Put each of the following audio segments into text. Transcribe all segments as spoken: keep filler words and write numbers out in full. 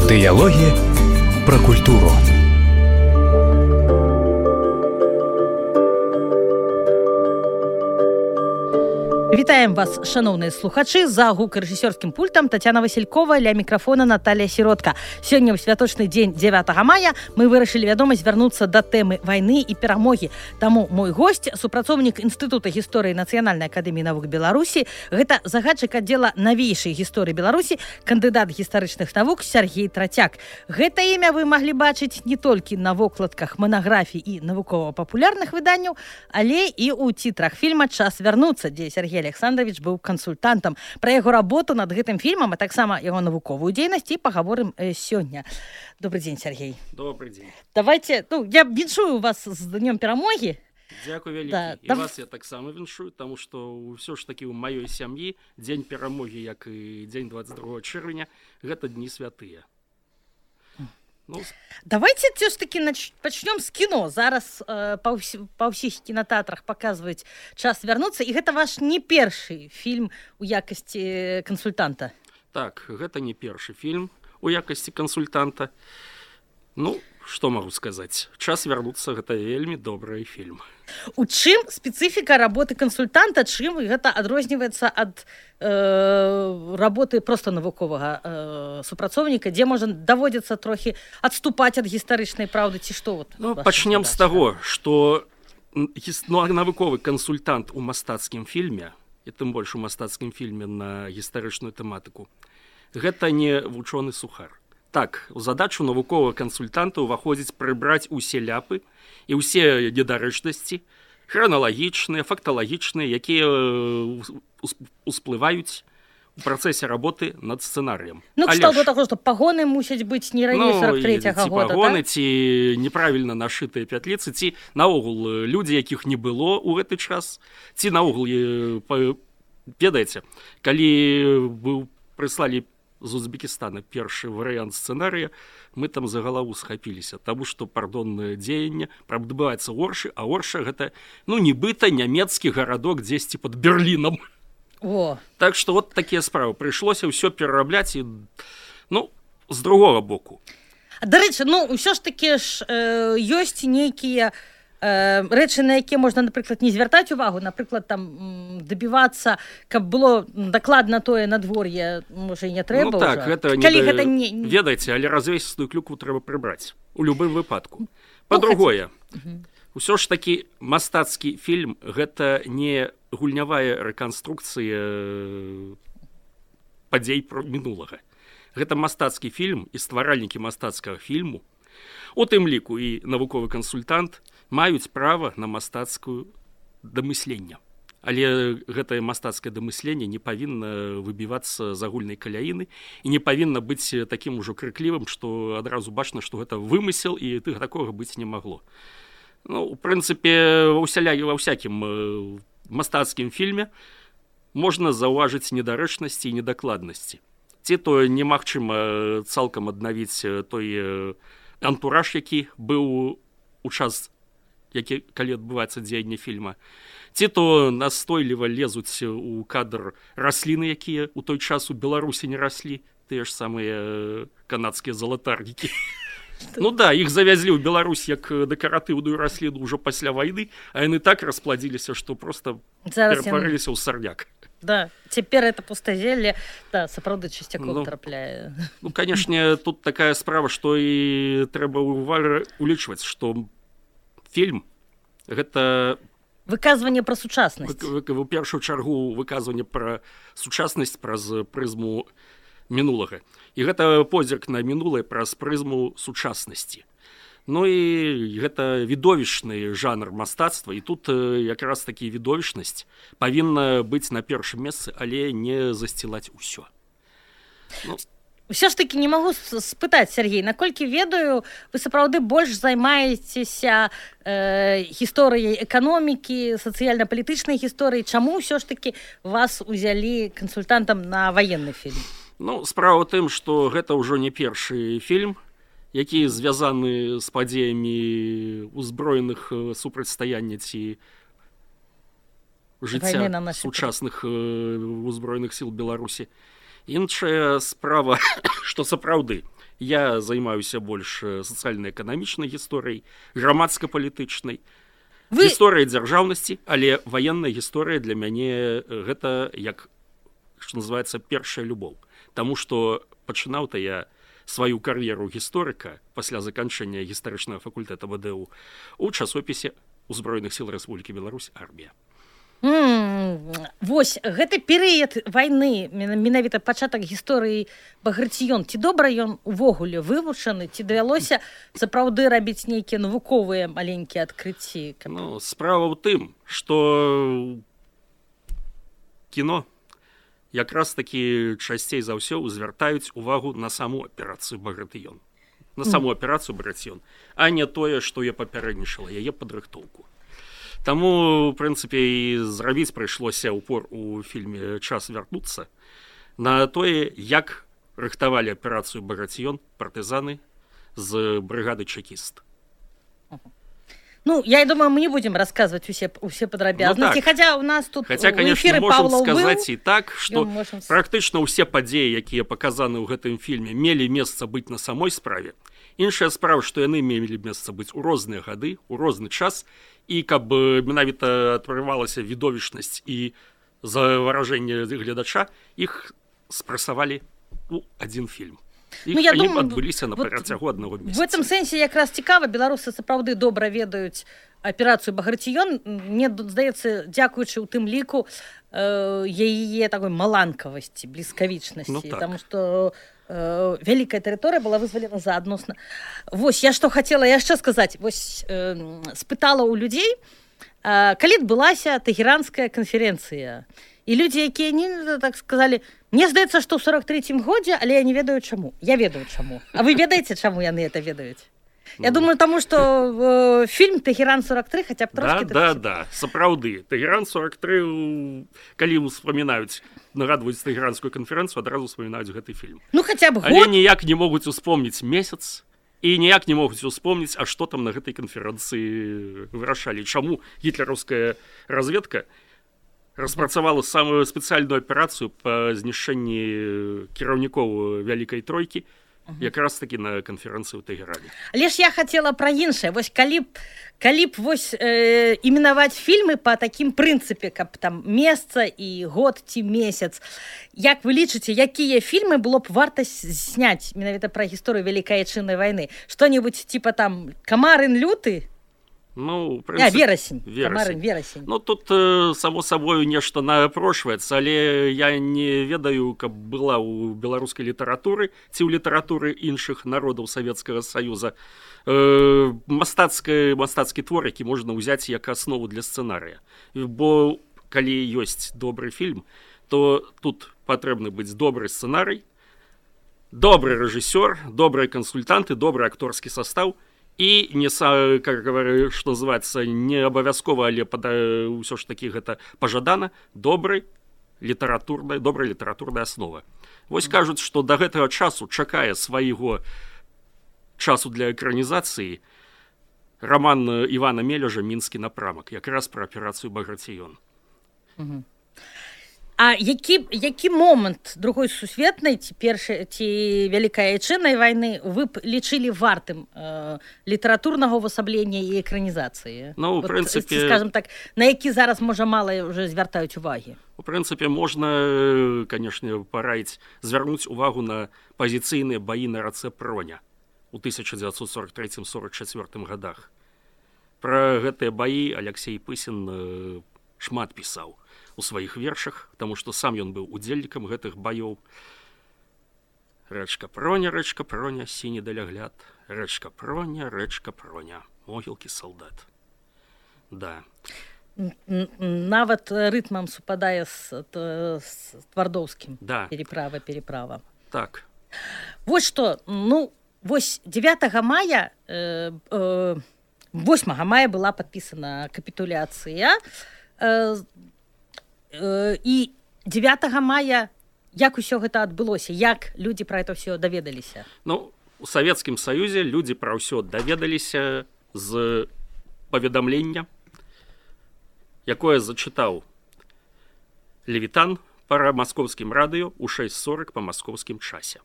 Дыялогі пра культуру. Вітаем вас, шановныя слухачы, за гукарэжысёрскім пультам Тацяна Васількова, ля мікрафона Наталія Сіротка. Сёння ў святочны дзень дзевятага мая мы вырашылі, вядома, звярнуцца да тэмы вайны і перамогі. Таму мой госць, супрацоўнік Інстытута гісторыі Нацыянальнай акадэміі навук Беларусі, гэта загадчык аддзела навейшай гісторыі Беларусі, кандыдат гістарычных навук Сяргей Трацяк. Гэта імя вы маглі бачыць не толькі на вокладках манаграфій і навукова-папулярных выданняў, але і ў цітрах фільма «Час вярнуцца», дзе Сергей Александрович быў кансультантам. Пра яго работу над гэтым фільмам, а таксама яго навуковую дзейнасць і пагаворым э, сёння. Добрый дзень, Сергей. Добрый дзень. Давайте, ну, я віншую вас з днём перамогі. Дзякуй вялікі. Да, і дав... вас я таксама віншую, таму што ўсё ж такі ў маёй сям'і дзень перамогі, як і дзень двадцать другого чэрвеня, гэта дні святыя. Ну, давайте все ж таки нач... пачнём з кіно. Зараз э, па, ўс... па ўсіх кінотэатрах паказваюць «Час вярнуцца», і гэта ваш не першы фільм у якасці кансультанта. Так, гэта не першы фільм у якасці кансультанта. Ну, што магу сказаць? «Час вярнуцца» гэта вельмі добры фільм. У чым спецыфіка работы кансультанта, чым гэта адрозніваецца ад э, работы проста навуковага э, супрацоўніка, дзе можа даводзіцца трохі адступаць ад гістарычнай праўды, ці што? Вот, ну, пачнем з таго, што ну, навуковы кансультант у мастацкім фільме, і тым больш у мастацкім фільме на гістарычную тэматыку, гэта не вучоны сухар. Так, у задачу навуковага кансультанта ўваходзіць прыбраць усе ляпы і ўсе недарэчнасці, храналагічныя, факталагічныя, якія усплываюць у працэсе работы над сцэнарыем. Ну, кшталту таго, што пагоны мусяць быць не раней сорок трэцяга ці года, пагоны, так? Ці неправільна нашытыя пятліцы, ці наогул людзі, якіх не было ў гэты час, ці наогул, ведаеце, калі вы прыслалі з Узбекістана першы варыянт сцэнарыя, мы там за галаву схапіліся, таму што пардоннае дзеянне адбываецца ў Оршы, а Орша гэта, ну, нібыта нямецкі гарадок дзесьці пад Берлінам. О. Так што вот такія справы. Прыйшлося ўсё перарабляць і, ну, з другога боку. Дарэчы, ну, ўсё ж такі ж э, ёсць нейкія э, рэчы, на якія можна, напрыклад, не звяртаць увагу, напрыклад, там дабівацца, каб было дакладна тое надвор'е, можа, і не трэба. Ну так, ўжо. гэта не, Калі да... гэта не... ведаеце, але развесістую клюкву трэба прыбраць у любым выпадку. Па-другое, ну, ўсё ж такі мастацкі фільм гэта не гульнявая рэканструкцыя падзей мінулага. Гэта мастацкі фільм, і стваральнікі мастацкага фільму, у тым ліку і навуковы кансультант, маюць права на мастацкую дамысленне. Але гэтае мастацкае дамысленне не павінна выбівацца з агульнай каляіны і не павінна быць такім ужо крыклівым, што адразу бачна, што гэта вымысел, і тых такога быць не магло. Ну, у прынцыпе, ва ўсякім мастацкім фільме можна заўважыць недарэчнасці і недакладнасці. Ці то немагчыма цалкам аднавіць той антураж, які быў у час, які, калі адбываецца дзеянне фільма. Ці то настойліва лезуць у кадр расліны, якія ў той час у Беларусі не раслі, тыя ж самыя канадскія залатарнікі. Ну да, іх завязлі ў Беларусь як дэкаратыўную расліну ўжо пасля вайны, а яны так распладзіліся, што проста ператварыліся ў сарняк. Да, цяпер это пустазелле, да, сапраўды часцяком ну, трапляе. Ну, канешне, тут такая справа, што і трэба ўвага улічваць, што фільм гэта выказванне пра сучаснасць. Вы, вы, у першую чаргу выказванне пра сучаснасць праз прызму мінулага. І гэта позірк на мінулае праз прызму сучаснасці. Ну і гэта відовішчны жанр мастацтва, і тут якраз такі відовішчнасць павінна быць на першым месцы, але не засцілаць усё. Ну, ўсё ж такі не магу спытаць, Сергей, наколькі ведаю, вы сапраўды больш займаецеся э, гісторыяй эканомікі, сацыяльна-палітычнай гісторыі. Чаму ўсё ж такі вас узялі кансультантам на ваенны фільм? Ну, справа ў тым, што гэта ўжо не першы фільм, які звязаны з падзеямі узброеных супрацьстаяння ці жыцця сучасных узброеных сіл Беларусі. Іншая справа, што сапраўды Я займаюся больш сацыяльна-эканамічнай гісторыяй, грамадска-палітычнай, Вы... гісторыя дзяржаўнасці, але ваенная гісторыя для мяне гэта як, што называецца, першая любоў. Таму што пачынаў-то я сваю кар'еру гісторыка пасля заканчэння гістарычнага факультэта ВДУ у часопісе Узброеных сіл Рэспублікі Беларусь «Армія». Mm, вось гэты перыяд вайны, менавіта пачатак гісторыі Баграцыён, ці добра ён увогуле вывучаны, ці давялося сапраўды рабіць нейкія навуковыя маленькія адкрыцці? Ну, справа ў тым, што кіно якраз такі часцей за ўсё звяртаюць увагу на саму аперацыю Баграцыён, на саму аперацыю Баграцыён, а не тое, што я папярэднічала, яе падрыхтоўку. Таму, в прынцыпе, і зрабіць прыйшлося ўпор у фільме «Час вярнуцца» на тое, як рыхтавалі аперацыю Баграцыён партызаны з брыгады «Чекіст». Ну, я думаю, мы не будем рассказывать усе, усе подробязности, ну, хотя у нас тут хотя, конечно, можем сказать и так, что можем... практычна ўсе падзеі, якія паказаны ў гэтым фільме, мелі месца быць на самой справе. Іншая справа, што яны мелі месца быць у розныя гады, у розны час, і каб менавіта атрымалася відовішчнасць і заваражэнне гледача, іх спрасавалі у адзін фільм. Іх, ну, я думаю, адбыліся на працягу аднаго месяца. В этом сэнсе якраз цікава, беларусы сапраўды добра ведаюць аперацыю Баграцыён. Мне здаецца, дзякуючы ў тым ліку э, яе такой маланкавасці, бліскавічнасці, ну, так. Таму што э, вялікая тэрыторыя была вызвалена заадносна. Вось, я што хацела яшчэ сказаць, вось э, спытала ў людзей, э, калі адбылася Тэгеранская канферэнцыя. І людзі, якія не так сказалі, мне здаецца, што ў сорок трэцім годзе, але я не ведаю чаму. Я ведаю чаму. А вы ведаеце, чаму яны это ведаюць? Я думаю, таму што э, фільм «Тэгеран сорок тры» хаця б трошкі... Да, да, да, сапраўды. «Тэгеран сорок тры», калі ўспамінаюць, нагадваюць Тэгеранскую канферэнцыю, адразу ўспамінаюць гэты фільм. Ну, хаця б год. Але ніяк не могуць успомніць месяц, і ніяк не могуць успомніць, а што там на гэтай канферэнцыі вырашалі. Чаму гітлераўская разведка распрацавала самую спецыяльную аперацыю па знішчэнні кіраўнікоў Вялікай Тройкі, якраз такі на канферэнцыі ў Тэгеране. Але ж я хацела пра іншае. Вось калі б, калі б вось э, іменаваць фільмы па такім прынцыпе, каб там месца і год ці месяц, як вы лічыце, якія фільмы было б варта зняць менавіта пра гісторыю Вялікай Айчыннай вайны? Што-небудзь типа там «Камарын люты»? Ну, прынцып... а, верасень. Камарын, верасень. Ну, тут, э, само собою, нешта напрошваецца, але я не ведаю, каб была ў беларускай літаратуры ці ў літаратуры іншых народаў Савецкага Саюза э, мастацкі, мастацкі твор, які можна ўзяць як аснову для сцэнарыя. Бо калі ёсць добры фільм, то тут патрэбны быць добры сцэнарый, добры рэжысёр, добрыя кансультанты, добры акторскі састаў, і не, как говорю, што называецца, не абавязкова, але ўсё ж такі гэта пажадана, добры літаратурная, добрая літаратурная аснова. Вось кажуць, што да гэтага часу чакае свайго часу для экранізацыі роман Івана Мележа «Мінскі напрамак», якраз пра аперацыю Баграцыён. Угу. А які, які момант другой сусветнай ці першай ці Вялікай Айчыннай вайны вы б лічылі вартым э, літаратурнага ўвасаблення і экранізацыі? Ну, у прынцыпе... Скажем так, на які зараз, можа, мала ўжо звяртаюць увагі? У прынцыпе, можна, канешне, параіць звярнуць увагу на пазіцыйныя баі на рацэ Проня у тысяча дзевяцьсот сорок трэцім — сорок чацвёртым гадах. Пра гэтыя баі Аляксей Пысін шмат пісаў у сваіх вершах, таму што сам ён быў удзельнікам гэтых баёў. Рэчка Проня, рэчка Проня, сіні далягляд. Рэчка Проня, рэчка Проня, могілкі салдат. Да. Нават рытмам супадае з, з Твардоўскім. Да. Переправа, переправа. Так. Вось што, ну, вось дзевятага мая, э, э, восьмага мая была падпісана капітуляцыя, э, і дзевятага мая як усё гэта адбылося, як людзі пра это ўсё даведаліся? Ну, у Савецкім Саюзе людзі пра ўсё даведаліся з паведамлення, якое зачытаў Левітан па маскоўскім радыё ў шэсць сорак па маскоўскім часе.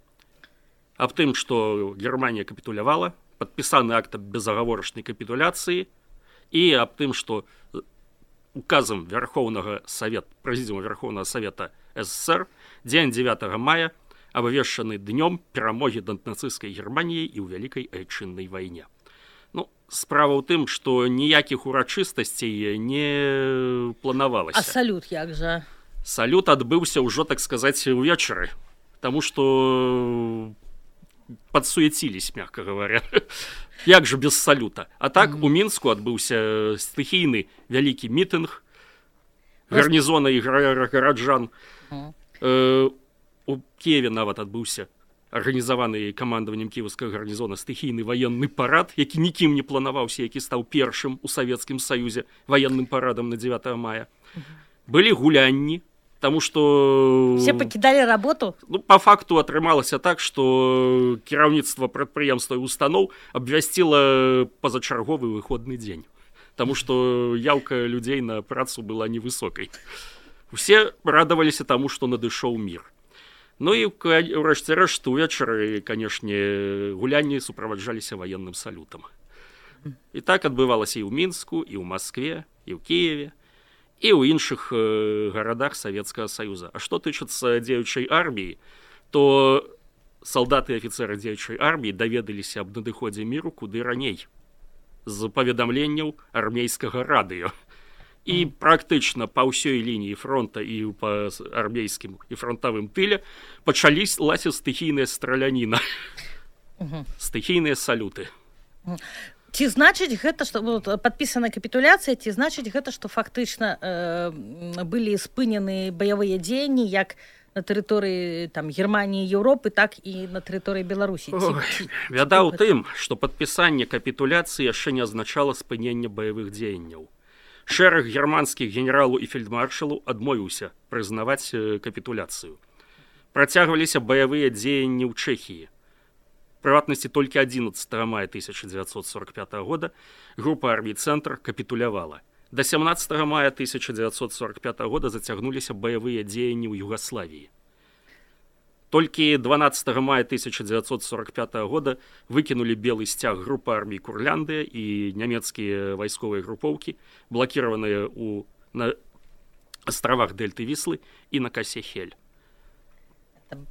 аб тым, што Германія капітулявала, падпісаны акт безагаворачнай капітуляцыі і аб тым, што указам Верховнага Савета, Прэзідыума Верховнага Савета СССР дзень дзевятага мая абвешчаны днём перамогі над нацысцкай Германіяй і ў вялікай айчыннай вайне. Ну, справа ў тым, што ніякіх урачыстасцей не планавалася. А салют як жа? Салют адбыўся ўжо, так сказаць, увечары, таму што падсуяцілись, мягка говоря. Як жа без салюта? А так у Мінску адбыўся стыхійны вялікі мітынг гарнізона і гараджан. У Киеве нават адбыўся арганізаваны камандаваннем кіеўскага гарнізона стыхійны ваенны парад, які нікім не планаваўся, які стаў першым у Савецкім Саюзе ваенным парадам на дзевятага мая. Былі гулянні, таму што... Все пакідалі работу? Ну, па факту атрымалася так, што кіраўніцтва прадпрыемства і устаноў абвясціла пазачарговы выходны дзень, таму што яўка людзей на працу была невысокай. Усе радаваліся таму, што надышоў мір. Ну і ўрэшце рэшт увечары, канешне, гулянні суправаджаліся ваенным салютам. І так адбывалася і ў Мінску, і ў Маскве, і ў Кіеве, і ў іншых гарадах Савецкага Саюза. А што тычыцца дзеючай арміі, то салдаты і афіцэры дзеючай арміі даведаліся аб надыходзе міру куды раней з паведамленняў армейскага радыё. І практычна па ўсёй лініі фронта і па армейскім і фронтавым тыле пачались лася стыхійная страляніна, стыхійныя салюты. Ці значыць гэта, што падпісана капітуляцыя, ці значыць гэта, што фактычна э, былі спынены баявыя дзеянні як на тэрыторыі там Германіі, Еўропы, так і на тэрыторыі Беларусі? Бяда ў тым, што падпісанне капітуляцыі яшчэ не азначала спынення баявых дзеянняў. Шэраг германскіх генералаў і фельдмаршалаў адмовіўся прызнаваць капітуляцыю. Працягваліся баявыя дзеянні ў Чэхіі. Прыватнасці толькі адзінаццатага мая тысяча дзевяцьсот сорок пятага года група армій «Цэнтр» капітулявала. Да сямнаццатага мая тысяча дзевяцьсот сорок пятага года зацягнуліся баявыя дзеянні ў Югаславіі. Толькі дванаццатага мая тысяча дзевяцьсот сорок пятага года выкінулі белы сцяг групы армій Курляндыя і нямецкія вайсковыя групоўкі, блакіраваныя ў на астравах Дельты Віслы і на косе Хель.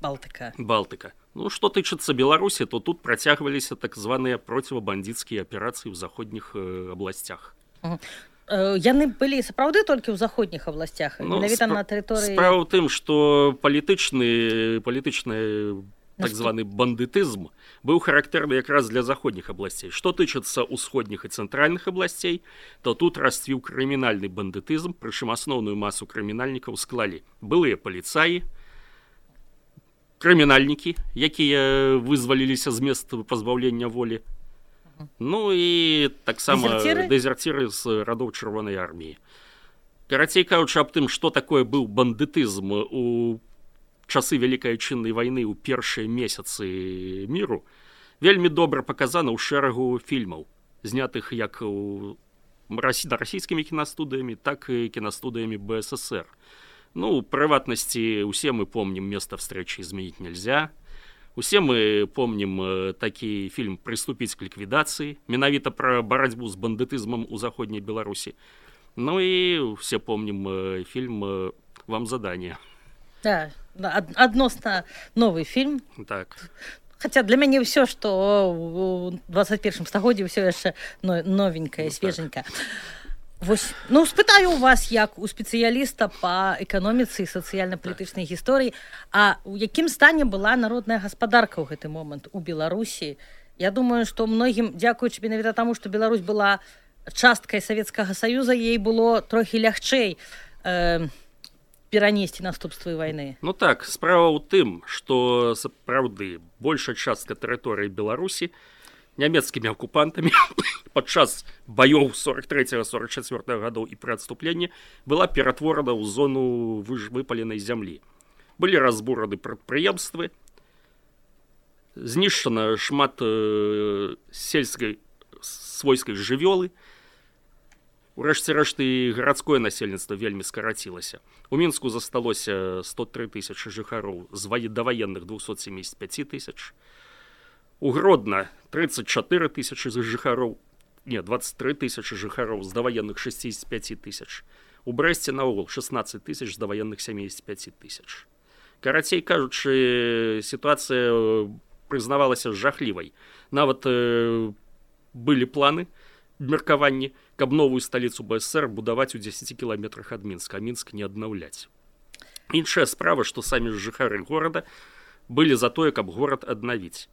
Балтыка. Балтыка. Ну, што тычыцца Беларусі, то тут працягваліся так званыя процівабандыцкія аперацыі ў заходніх э, абласцях. Угу. Яны былі сапраўды толькі ў заходніх абласцях, ну, менавіта спра... на тэрыторыі... Справа ў тым, што палітычны, палітычны так званы бандытызм быў характэрны якраз для заходніх абласцей. Што тычыцца ўсходніх і цэнтральных абласцей, то тут расцвіў крымінальны бандытызм, прычым асноўную масу крымінальнікаў склалі былыя паліцаі, крымінальнікі, якія вызваліліся з мест пазбаўлення волі, ну і таксама дэзерціры з радоў Чырвонай арміі. Карацей кажучы аб тым, што такое быў бандытызм у часы Вялікай Айчыннай вайны ў першыя месяцы міру, вельмі добра паказана ў шэрагу фільмаў, знятых як у... расійскімі кінастудыямі, так і кінастудыямі Бэ Эс Эс Эр. Ну, у прыватнасці, усе мы помнім «Место встречи изменить нельзя», усе мы помнім такі фільм «Приступить к ліквідацыі», менавіта пра барацьбу з бандытызмам у заходняй Беларусі. Ну і усе помнім фільм «Вам задание». Да, адносна новы фільм. Так. Хаця для мяне ўсё, што ў двадцать першым стагоддзі ўсё яшчэ новенькае, свеженькае. Вось, ну, спытаю у вас, як у спецыяліста па эканоміцы і сацыяльна-палітычнай гісторыі, а у якім стане была народная гаспадарка ў гэты момант у Беларусі? Я думаю, што многім, дзякуючы менавіта таму, што Беларусь была часткай Савецкага Саюза, ей было трохі лягчэй э, перанесці наступствы вайны. Ну так, справа ў тым, што сапраўды большая частка тэрыторыі Беларусі нямецкімі акупантамі падчас баёў сорок трэцяга сорок чацвёртага гадоў і пры адступленні была ператворана ў зону выпаленай зямлі. Былі разбураны прадпрыемствы, знішчана шмат э, сельскай свойскай жывёлы, урэшце рэшт і гарадское насельніцтва вельмі скарацілася. У Мінску засталося сто тры тысячы жыхароў з даваенных двухсот семьдесят пять тысяч. У Гродна тридцать четыре тысячи жыхароў, не, двадцать три тысячи жыхароў, з даваенных шестьдесят пять тысяч. У Брэсце наогул шестнадцать тысяч, з даваенных семьдесят пять тысяч. Карацей кажучы, сітуацыя прызнавалася жахлівай. Нават э, былі планы, меркаванні, каб новую сталіцу БСР будаваць у дзесяці кіламетрах ад Мінска, а Мінск не аднаўляць. Іншая справа, што самі жыхары горада былі за тое, каб горад аднавіць.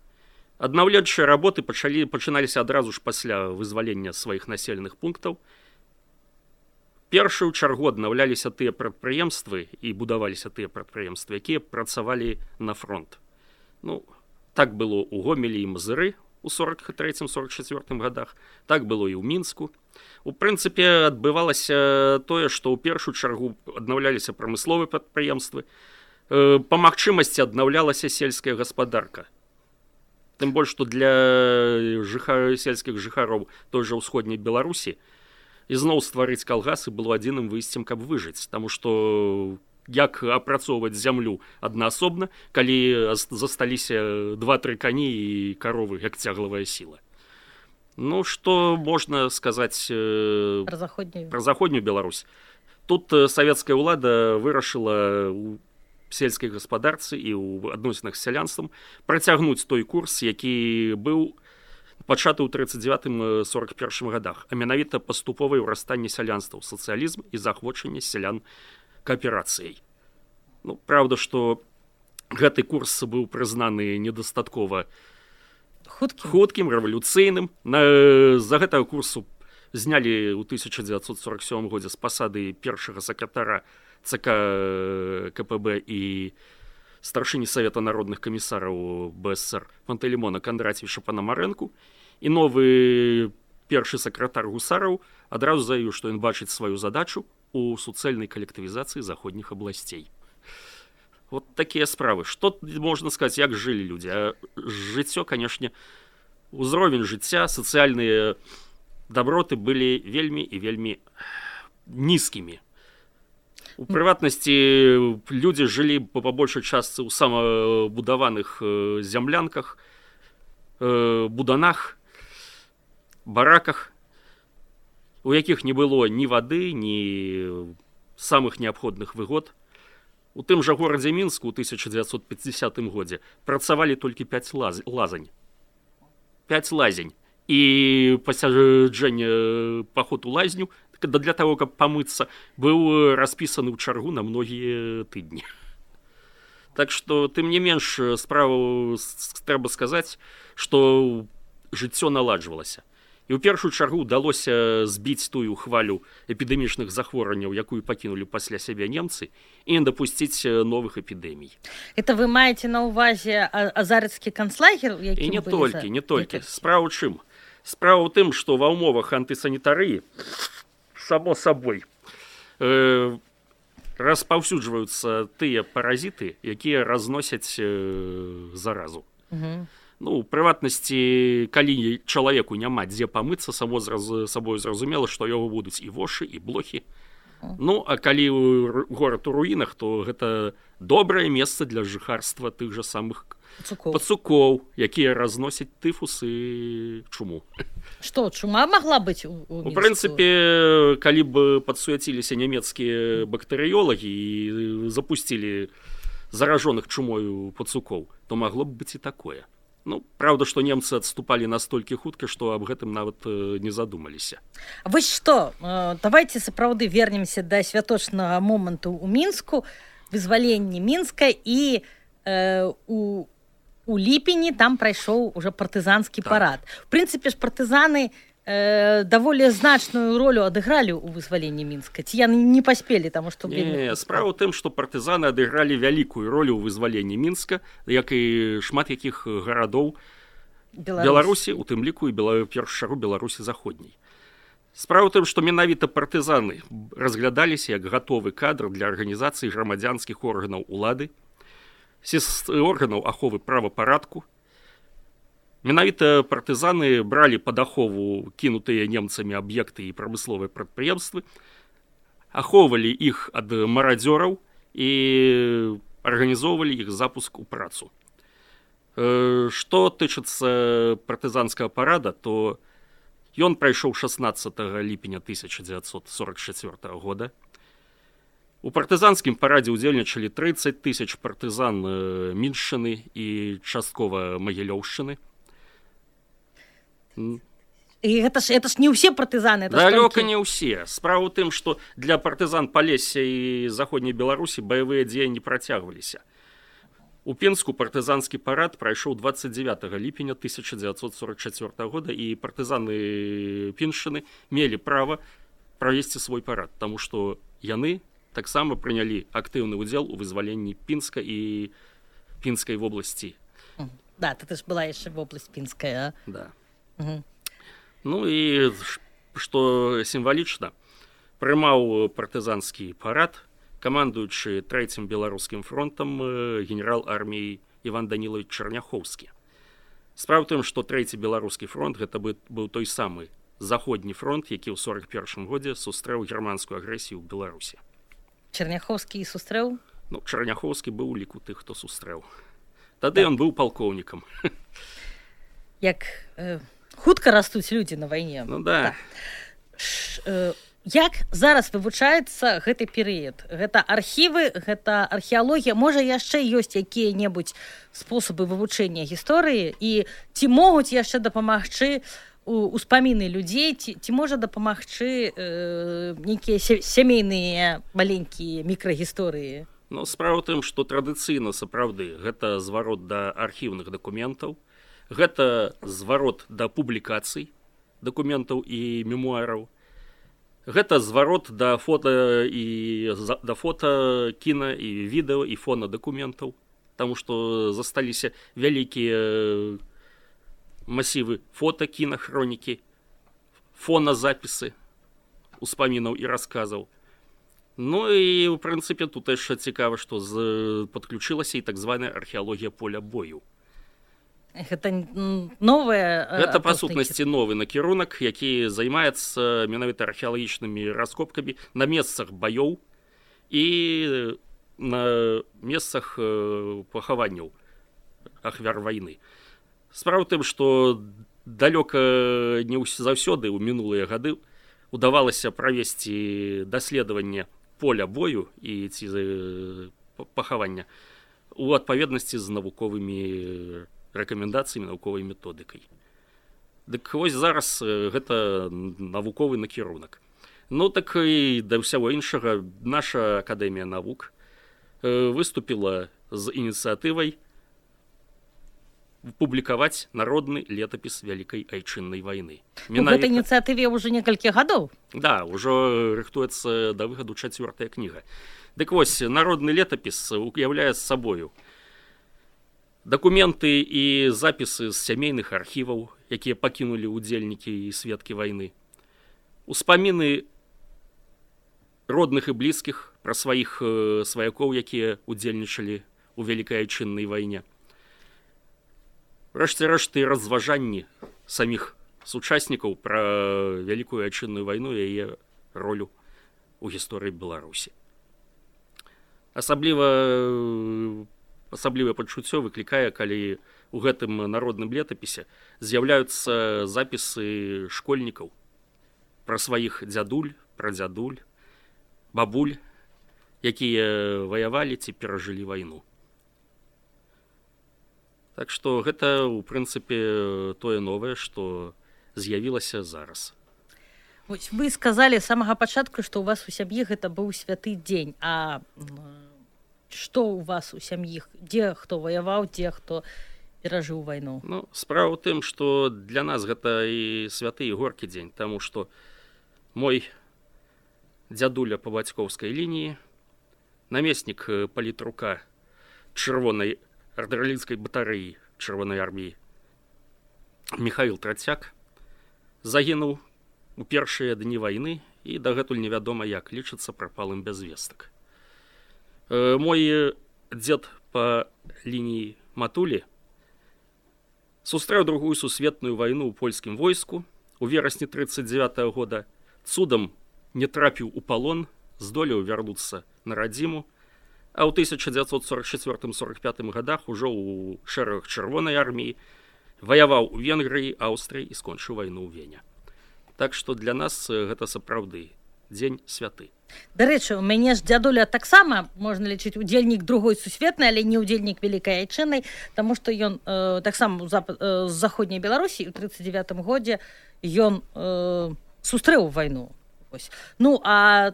Аднаўленчыя работы пачалі, пачыналіся адразу ж пасля вызвалення сваіх населеных пунктаў. Першую чаргу аднаўляліся тыя прадпрыемствы і будаваліся тыя прадпрыемствы, якія працавалі на фронт. Ну, так было ў Гомелі і Мазыры у сорок трэцім сорок чацвёртым годах, так было і ў Мінску. У прынцыпе, адбывалася тое, што ў першую чаргу аднаўляліся прамысловыя прадпрыемствы, па магчымасці аднаўлялася сельская гаспадарка. Тым больш, што для жыхар... сельскіх жыхароў той жа ўсходняй Беларусі ізноў стварыць калгасы было адзіным выйсцем, каб выжыць, таму што як апрацоўваць зямлю аднаасобна, калі засталіся два-тры кані і каровы, як цяглавая сіла. Ну, што можна сказаць э... пра заходнюю. пра заходнюю Беларусь. Тут савецкая ўлада вырашыла ў сельскай гаспадарцы і ў адносінах з сялянствам працягнуць той курс, які быў пачаты ў тридцать девятым сорок першым годах, а менавіта паступовае ўрастанне сялянства ў сацыялізм і захвочанне сялян кааперацыяй. Ну, правда, што гэты курс быў прызнаны недастаткова хуткім, хуткім рэвалюцыйным. На... За гэтага курсу знялі ў тысяча дзевяцьсот сорок сёмым годзе з пасады першага сакратара ЦК КПБ і старшыні Савета народных камісараў БСР Пантэлеймона Кондратьевича Панамарэнку, і новы першы сакратар гусараў адразу заявіў, што ён бачыць сваю задачу у суцэльнай калектывізацыі заходніх абласцей. Вот такія справы. Што можна сказаць, як жылі людзі? А жыццё, канешне, узровень жыцця, сацыяльныя даброты былі вельмі і вельмі нізкімі. У прыватнасці людзі жылі па большай частцы ў самабудаваных зямлянках, буданах, бараках, у якіх не было ні вады, ні самых неабходных выгод. У тым жа горадзе Мінску ў тысяча дзевяцьсот пятидесятым годзе працавалі толькі пяць лаз... лазань. пяць лазень. І пасяджэнне паход у лазню для того, каб памыцца, быў распісаны ў чаргу на многія тыдні. Так што, тым не менш, справу трэба сказаць, што жыццё наладжвалася. І ў першую чаргу ўдалося збіць тую хвалю эпідэмічных захворванняў, якую пакінулі пасля сябе немцы, і не дапусціць новых эпідэмій. Это вы маеце на ўвазе азарыцкі канцлагер? І не толькі, не толькі. Справа ў чым? Справа ў тым, што ва ўмовах антысанітарыі само сабой э, распаўсюджваюцца тыя паразіты, якія разносяць э, заразу. Угу. Ну, у прыватнасці, калі чалавеку няма дзе памыцца, само зразу, сабой зразумела, што яго будуць і вошы, і блохі. Ну, а калі горад у руінах, то гэта добрае месца для жыхарства тых жа самых пацукоў, пацукоў, якія разносяць тыфус і чуму. Што, чума магла быць у, у У прынцыпе, калі б падсуяціліся нямецкія бактэрыёлагі і запусцілі заражоных чумою пацукоў, то магло б быць і такое. Ну, правда, што немцы адступалі настолькі хутка, што аб гэтым нават не задумаліся. Вось што, давайте сапраўды вернемся да святочнага моманту ў Мінску, вызваленне Мінска, і э, у, у ліпені там прайшоў уже партызанскі так. парад. В прынцыпе ж партызаны э, даволі значную ролю адыгралі ў вызваленні Мінска. Ці яны не паспелі, таму што... Не, справа ў тым, што партызаны адыгралі вялікую ролю ў вызваленні Мінска, як і шмат якіх гарадоў Беларусь. Беларусі, у тым ліку і першую чаргу Беларусі заходняй. Справа ў тым, што менавіта партызаны разглядаліся як гатовы кадр для арганізацыі грамадзянскіх органаў улады, органаў аховы правапарадку. Менавіта партызаны бралі пад ахову кінутыя немцамі аб'екты і прамысловыя прадпрыемствы, ахоўвалі іх ад марадзёраў і арганізоўвалі іх запуск у працу. Што тычыцца партызанскага парада, то ён прайшоў шаснаццатага ліпеня тысяча дзевяцьсот сорок чацвёртага года. У партызанскім парадзе ўдзельнічалі трыццаць тысяч партызан Міншчыны і часткова Магілёўшчыны. І гэта ж, гэта ж не ўсе партызаны. Далёка толькі... не ўсе. Справа ў тым, што для партызан Палесся і Заходняй Беларусі баявыя дзеянні працягваліся. У Пінску партызанскі парад прайшоў дваццаць дзевятага ліпеня тысяча дзевяцьсот сорок чацвёртага года, і партызаны Піншчыны мелі права правесці свой парад, таму што яны таксама прынялі актыўны ўдзел у вызваленні Пінска і Пінскай вобласці. Да, гэта ж была яшчэ вобласць Пінская. Да. Угу. Ну і што сімвалічна, прымаў партызанскі парад камандуючы трэцім беларускім фронтам генерал арміі Іван Данілавіч Чарняхоўскі. Справа ў тым, што трэці беларускі фронт гэта быў той самы заходні фронт, які ў сорак першым годзе сустрэў германскую агрэсію ў Беларусі. Чарняхоўскі сустрэў? Ну, Чарняхоўскі быў у ліку тых, хто сустрэў. Тады ён быў палкоўнікам. Як э, хутка растуць людзі на вайне. Ну да. Ш, э, як зараз вывучаецца гэты перыяд? Гэта архівы, гэта археалогія, можа яшчэ ёсць якія-небудзь спосабы вывучэння гісторыі, і ці могуць яшчэ дапамагчы успаміны людзей, ці, ці можа дапамагчы э, нейкія сямейныя маленькія мікрагісторыі? Ну, справа ў тым, што традыцыйна сапраўды гэта зварот да архіўных дакументаў, гэта зварот да публікацый дакументаў і мемуараў, гэта зварот да фота і да фота, кіна і відэо і фонадакументаў, таму што засталіся вялікія масівы фота, кіна, хронікі, фоназапісы успамінаў і расказаў. Ну і ў прынцыпе тут яшчэ цікава, што з... падключылася і так званая археалогія поля бою. Гэта новая... Гэта, па сутнасці, новы накірунак, які займаецца менавіта археалагічнымі раскопкамі на месцах баёў і на месцах пахаванняў ахвяр вайны. Справа ў тым, што далёка не заўсёды ў мінулыя гады удавалася правесці даследаванне поля бою і ці пахавання у адпаведнасці з навуковымі рэкамендацыямі, навуковай методыкай. Дык вось зараз гэта навуковы накірунак. Ну так і да ўсяго іншага наша акадэмія навук выступіла з ініцыятывай публікаваць народны летапіс Вялікай Айчыннай вайны. У гэтай ініцыятыве ўжо некалькі гадоў. Да, ўжо рыхтуецца да выхаду чацвёртая кніга. Дык вось, народны летапіс уяўляе з сабою дакументы і запісы з сямейных архіваў, якія пакінулі ўдзельнікі і сведкі вайны, успаміны родных і блізкіх пра сваіх сваякоў, якія ўдзельнічалі ў Вялікай Айчыннай вайне. Рэшце-рэшты разважанні саміх сучаснікаў пра Вялікую Айчынную вайну і яе ролю ў гісторыі Беларусі. Асабліва асаблівае пачуццё выклікае, калі ў гэтым народным летапісе з'яўляюцца запісы школьнікаў пра сваіх дзядуль, прадзядуль, бабуль, якія ваявалі ці перажылі вайну. Так што гэта, у прынцыпе, тое новае, што з'явілася зараз. Вось вы сказалі з самага пачатку, што ў вас у сям'і гэта быў святы дзень. А што ў вас у сям'і? Дзе хто ваяваў, дзе хто перажыў вайну? Ну, справа ў тым, што для нас гэта і святы, і горкі дзень, таму што мой дзядуля па бацькоўскай лініі, намеснік палітрука чырвонай артылерыйскай батарэі чырвонай арміі Міхаіл Трацяк загінуў у першыя дні вайны і дагэтуль невядома, як лічыцца прапалым без вестак. Мой дзед па лініі матулі сустрэў другую сусветную вайну ў польскім войску у верасні трыццаць дзевятага года, цудам не трапіў у палон, здолеў вярнуцца на радзіму, А ў тысяча дзевяцьсот сорок чацвёртым сорок пятым годах ужо ў шэрагах чырвонай арміі, ваяваў у Венгрыі, Аўстрыі і скончыў вайну ў Вене. Так што для нас гэта сапраўды дзень святы. Дарэчы, у мяне ж дзядуля таксама можна лічыць удзельнік другой сусветнай, але не удзельнік вялікай айчыннай, таму што ён э, таксама з заходняй Беларусі ў тридцать девятым годзе ён э, сустрэў вайну. Ось. Ну, а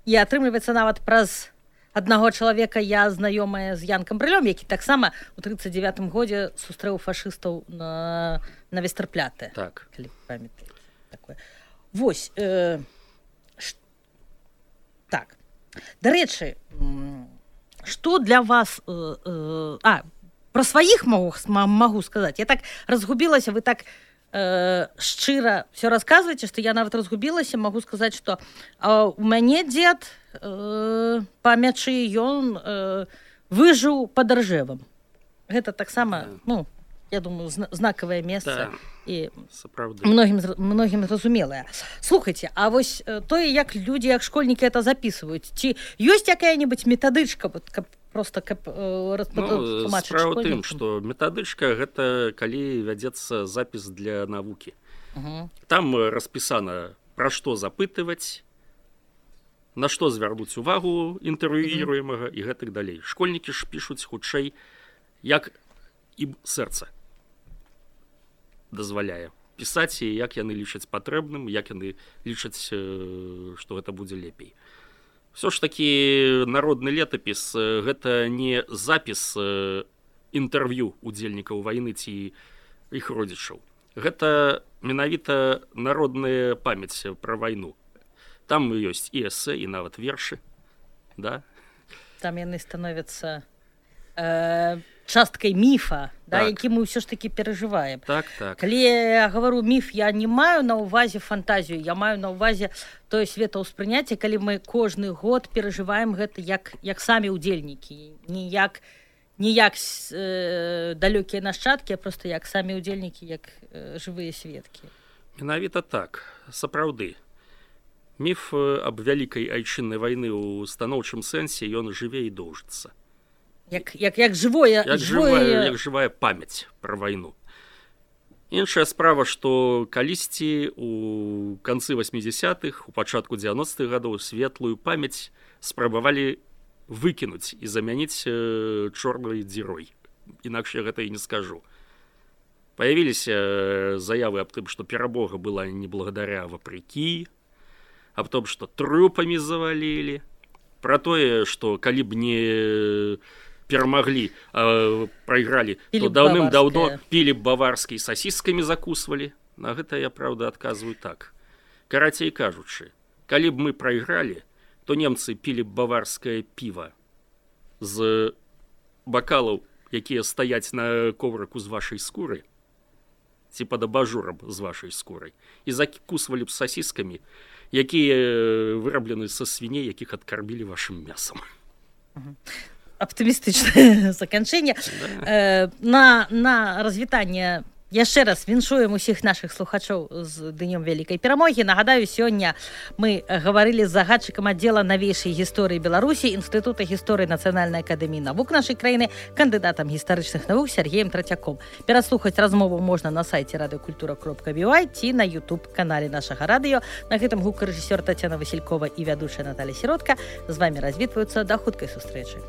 і атрымліваецца нават праз аднаго чалавека я знаёмая з Янкам Брылём, які таксама ў тридцать девятым годзе сустрэў фашыстаў на, на Вестерпляте. Так. Калі памятаеце такое. Вось. Э, ш... Так. Дарэчы, што для вас... Э, э, а, пра сваіх магу, магу сказаць. Я так разгубілася, вы так э, шчыра все расказваеце, што я нават разгубілася, магу сказаць, што э, у мяне дзед э, па мячы ён э, выжыў пад Ржевам. Гэта таксама, ну, я думаю, знакавае месца. Да. І сапраўды. Многім, многім зразумелае. Слухайце, а вось тое, як людзі, як школьнікі это записываюць, ці ёсць якая-небудзь метадычка, каб просто каб ну, справа ў тым, што метадычка гэта калі вядзецца запіс для навукі. Угу. Там распісана, пра што запытваць, на што звярнуць увагу інтэрв'юіруемага і гэтак далей. Школьнікі ж пішуць хутчэй, як ім сэрца дазваляе пісаць, і як яны лічаць патрэбным, як яны лічаць, што гэта будзе лепей. Все ж такі народны летапіс гэта не запіс інтэрв'ю удзельнікаў вайны ці іх родзічаў. Гэта менавіта народная памяць пра вайну. Там ёсць і эсэ, і нават вершы. Да? Там яны становяцца э, часткай міфа, да, так. які мы ўсё ж такі перажываем. Так, так. Калі я гавару міф, я не маю на ўвазе фантазію, я маю на ўвазе тое светаўспрыняцце, калі мы кожны год перажываем гэта як, як самі ўдзельнікі, не як, не як э, далёкія нашчадкі, а проста як самі ўдзельнікі, як э, жывыя сведкі. Менавіта так, сапраўды. Міф аб вялікай айчыннай вайны ў станоўчым сэнсе, ён жыве і доўжыцца. Як, як, як, жывое, як, жывое... жывая, як жывая памяць пра вайну. Іншая справа, што калісьці у канцы васьмідзясятых, у пачатку дзевяностых гадоў светлую памяць спрабавалі выкінуць і замяніць э, чорнай дзірой. Інакш я гэта і не скажу. Паявіліся заявы аб тым, што перамога была не благодаря, а вопреки, аб том, што трупамі завалілі, пра тое, што калі б не перамаглі, а прайгралі, то даўным-даўно пілі б баварскі, сасіскамі закусвалі. На гэта я, праўда, адказваю так. Карацей кажучы, калі б мы прайгралі, то немцы пілі б баварскае піва з бакалаў, якія стаяць на коврыку з вашай скуры, ці пад абажурам з вашай скурай, і закусвалі б сасіскамі, якія выраблены са свіней, якіх адкармілі вашым мясам. Аптымістычнае заканчэнне. Да. Э, на, на развітанне яшчэ раз віншуем усіх нашых слухачоў з днём вялікай перамогі. Нагадаю, сёння мы гаварылі з загадчыкам аддзела навейшай гісторыі Беларусі Інстытута гісторыі Нацыянальнай акадэміі навук нашай краіны, кандыдатам гістарычных навук Сергеем Трацяком. Пераслухаць размову можна на сайце радыёкультура кропка бі вай ці на YouTube-канале нашага радыё. На гэтым гукарэжысёр Тацяна Васількова і вядучая Наталя Сіротка з вамі развітваюцца. Да хуткай сустрэчы.